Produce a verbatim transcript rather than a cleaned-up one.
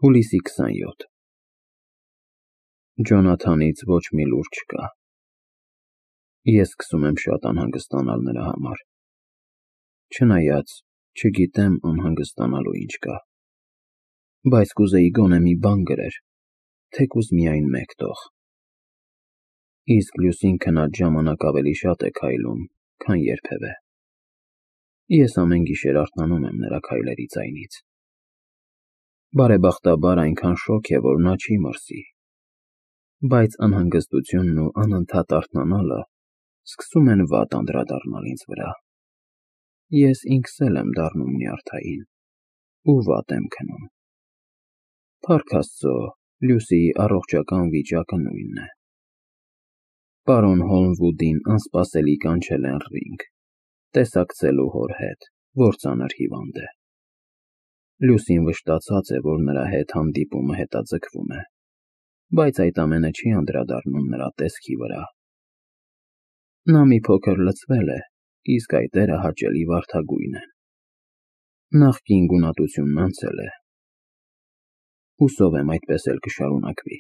Հուլիսի քսանյոթ Ջոնաթանից ոչ մի լուր չկա։ Ես սկսում եմ շատ անհանգստանալ նրա համար, չնայած չգիտեմ անհանգստանալու ինչ կա, բայց կուզեի գոնե մի բան գրեր, թեկուզ միայն մեկ տող։ Իսկ լուսին քնած ժամանակ ավելի շատ է քայլում, քան երբևէ։ Ես ամեն գիշեր արթնանում եմ նրա քայլերի ձայնից։ Բարեբախտաբար այնքան շոգ է, որ նա չի մրսի, բայց անհանգստությունն ու անընդհատ արթնանալը սկսում են վատ անդրադառնալ ինձ վրա։ Ես ինքս էլ եմ դառնում նյարդային ու վատ եմ քնում։ Փառք Աստծո, Լուսիի առողջական վիճակը նույնն է։ Պարոն Հոլմվուդին անսպասելի կանչել են Ռինգ, տեսակցելու հոր հետ, որ ծանր հիվանդ է։ Լուսին վշտացած է, որ նրա հետ հանդիպումը հետաձգվում է, բայց այդ ամենը չի անդրադառնում նրա տեսքի վրա։ Նա մի փոքր լցվել է, իսկ այտերը հաճելի վարդագույն են։ Նախկին գունատությունն անցել է։ Հուսով եմ այդպես էլ կշարունակվի։